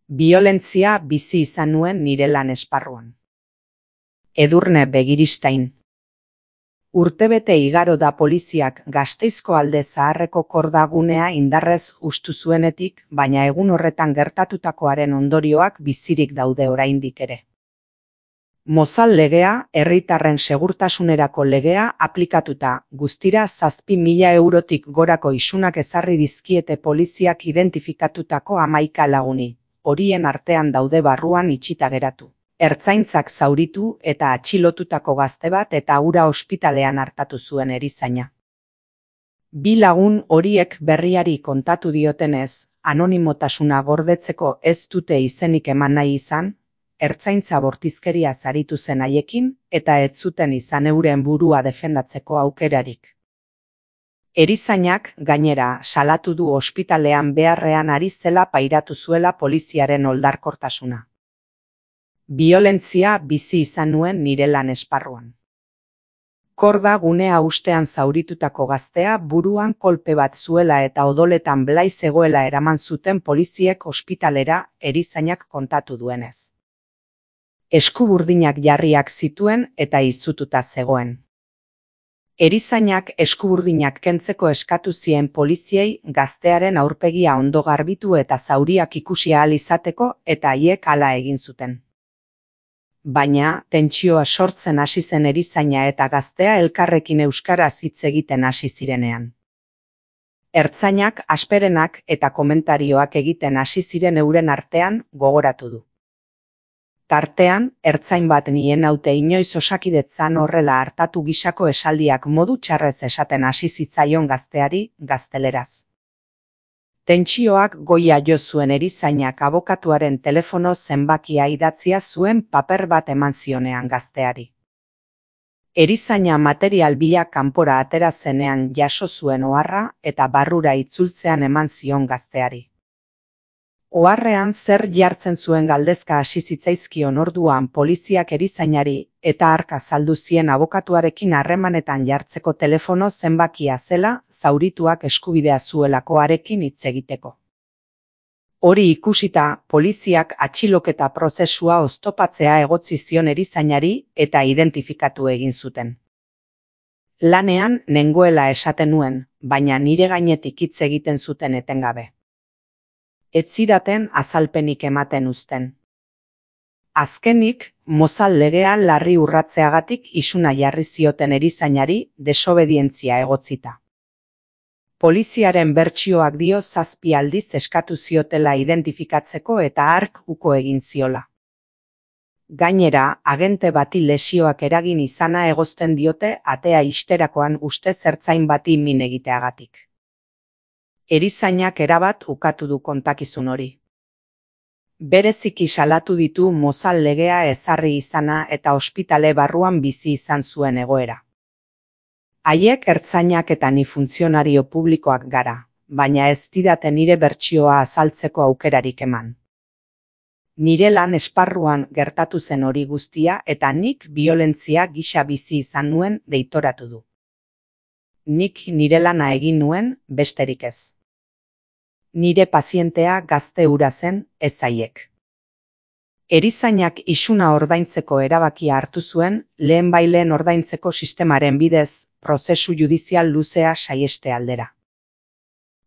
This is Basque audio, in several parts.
Biolentzia bizi izan nuen nire lan esparruan. Edurne Begiristain. Urtebete igaro da poliziak Gasteizko Alde Zaharreko kordagunea indarrez hustu zuenetik, baina egun horretan gertatutakoaren ondorioak bizirik daude oraindik ere. Mozal legea, herritarren segurtasunerako legea aplikatuta, guztira 7.000 eurotik gorako isunak ezarri dizkiete poliziak identifikatutako 11 laguni. Horien artean daude barruan itxita geratu. Ertzaintzak zauritu eta atxilotutako gazte bat eta hura ospitalean hartatu zuen erizaina. Bi lagun horiek berriari kontatu diotenez, anonimotasuna gordetzeko ez dute izenik eman nahi izan, ertzaintza bortizkeria zaritu zen haiekin eta ez zuten izan euren burua defendatzeko aukerarik. Erizainak, gainera, salatu du ospitalean beharrean ari zela pairatu zuela poliziaren oldarkortasuna. Biolentzia bizi izan nuen nire lan esparruan. Korda gunea ustean zauritutako gaztea buruan kolpe bat zuela eta odoletan blai zegoela eraman zuten poliziek ospitalera, erizainak kontatu duenez. Eskuburdinak jarriak zituen eta izututa zegoen. Erizainak eskuburdinak kentzeko eskatu zien poliziei gaztearen aurpegia ondo garbitu eta zauriak ikusi ahal izateko eta haiek hala egin zuten. Baina, tentsioa sortzen hasi zen erizaina eta gaztea elkarrekin euskaraz hitz egiten hasi zirenean. Ertzainak, asperenak eta komentarioak egiten hasi ziren euren artean gogoratu du. Tartean, ertzain bat nien haute inoiz Osakidetzan horrela hartatu gisako esaldiak modu txarrez esaten hasi zitzaion gazteari, gazteleraz. Tentsioak goia jo zuen erizainak abokatuaren telefono zenbakia idatzia zuen paper bat eman zionean gazteari. Erizaina material bila kanpora atera zenean jaso zuen oharra eta barrura itzultzean eman zion gazteari. Oharrean zer jartzen zuen galdezka hasi zitzaizkion orduan poliziak erizainari eta hark azaldu zien abokatuarekin harremanetan jartzeko telefono zenbakia zela zaurituak eskubidea zuelakoarekin hitz egiteko. Hori ikusita, poliziak atxiloketa prozesua oztopatzea egotzi zion erizainari eta identifikatu egin zuten. Lanean nengoela esaten nuen, baina nire gainetik hitz egiten zuten etengabe. Ez zidaten azalpenik ematen uzten. Azkenik, Mozal legea larri urratzeagatik isuna jarri zioten erizainari desobedientzia egotzita. Poliziaren bertsioak dio 7 aldiz eskatu ziotela identifikatzeko eta hark uko egin ziola. Gainera, agente bati lesioak eragin izana egozten diote atea ixterakoan ustez ertzain bati min egiteagatik. Erizainak erabat ukatu du kontakizun hori. Bereziki salatu ditu Mozal legea ezarri izana eta ospitale barruan bizi izan zuen egoera. Haiek ertzainak eta ni funtzionario publikoak gara, baina ez didate nire bertsioa azaltzeko aukerarik eman. Nire lan esparruan gertatu zen hori guztia eta nik biolentzia gisa bizi izan nuen deitoratu du. Nik nire lana egin nuen, besterik ez. Nire pazientea gazte hura zen, ez haiek. Erizainak isuna ordaintzeko erabakia hartu zuen, lehenbaileen ordaintzeko sistemaren bidez, prozesu judizial luzea saieste aldera.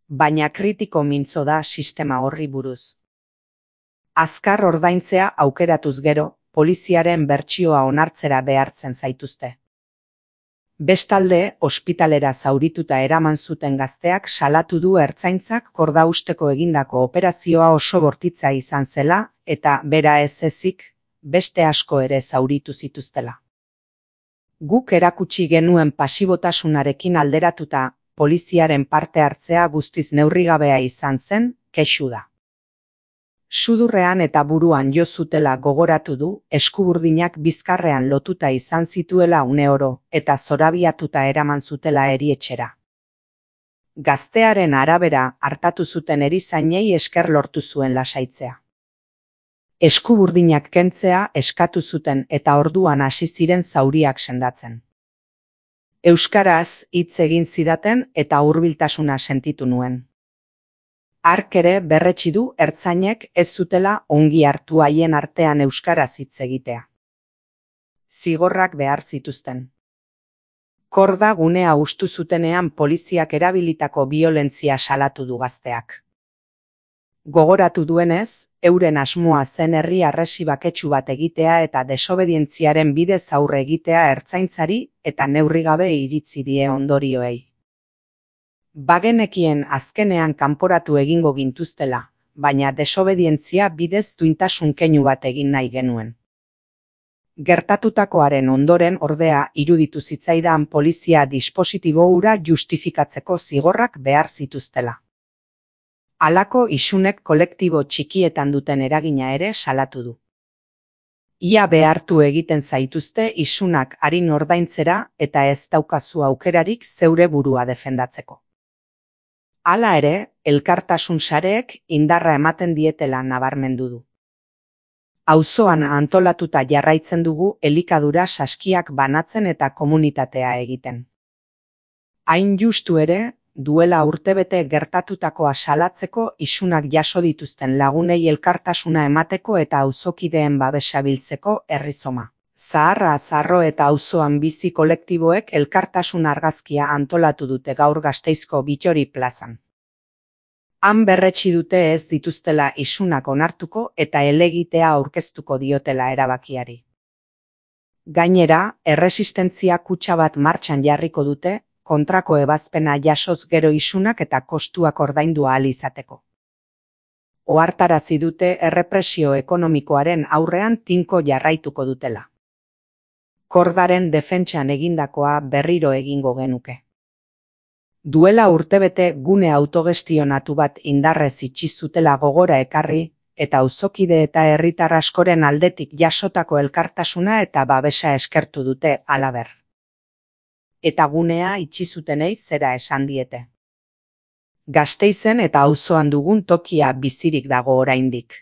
Baina kritiko mintzo da sistema horri buruz. Azkar ordaintzea aukeratuz gero, poliziaren bertsioa onartzera behartzen zaituzte. Bestalde, ospitalera zaurituta eraman zuten gazteak salatu du ertzaintzak kordausteko egindako operazioa oso bortitza izan zela eta bera ez ezik, beste asko ere zauritu zituztela. Guk erakutsi genuen pasibotasunarekin alderatuta, poliziaren parte hartzea guztiz neurrigabea izan zen, kexu da. Sudurrean eta buruan jo zutela gogoratu du, eskuburdinak bizkarrean lotuta izan zituela uneoro eta zorabiatuta eraman zutela erietxera. Gaztearen arabera hartatu zuten erizainei esker lortu zuen lasaitzea. Eskuburdinak kentzea eskatu zuten eta orduan hasi ziren zauriak sendatzen. Euskaraz hitz egin zidaten eta hurbiltasuna sentitu nuen. Hark ere berretsi du ertzainek ez zutela ongi hartu haien artean euskaraz hitz egitea. Zigorrak behar zituzten. Korda gunea hustu zutenean poliziak erabilitako biolentzia salatu du gazteak. Gogoratu duenez, euren asmoa zen herri harresi baketsu bat egitea eta desobedientziaren bidez aurre egitea ertzaintzari eta neurri gabe iritzi die ondorioei. Bagenekien azkenean kanporatu egingo gintuztela, baina desobedientzia bidez duintasun keinu bat egin nahi genuen. Gertatutakoaren ondoren ordea iruditu zitzaidan polizia dispositibo hura justifikatzeko zigorrak behar zituztela. Halako isunek kolektibo txikietan duten eragina ere salatu du. Ia behartu egiten zaituzte isunak arin ordaintzera eta ez daukazu aukerarik zeure burua defendatzeko. Hala ere, elkartasun sareek indarra ematen dietela nabarmendu du. Auzoan antolatuta jarraitzen dugu elikadura saskiak banatzen eta komunitatea egiten. Hain justu ere, duela urtebete gertatutakoa salatzeko isunak jaso dituzten lagunei elkartasuna emateko eta auzokideen babesa biltzeko herrizoma. Zaharra Zarro eta auzoan bizi kolektiboek elkartasun argazkia antolatu dute gaur Gasteizko Bittori plazan. Han berretsi dute ez dituztela isunak onartuko eta helegitea aurkeztuko diotela erabakiari. Gainera, erresistentzia kutxa bat martxan jarriko dute, kontrako ebazpena jasoz gero isunak eta kostuak ordaindu ahal izateko. Ohartarazi dute errepresio ekonomikoaren aurrean tinko jarraituko dutela. Kordaren defentsan egindakoa berriro egingo genuke. Duela urtebete gune autogestionatu bat indarrez itxi zutela gogora ekarri, eta auzokide eta herritar askoren aldetik jasotako elkartasuna eta babesa eskertu dute halaber. Eta gunea itxi zutenei zera esan diete. Gasteizen eta auzoan dugun tokia bizirik dago oraindik.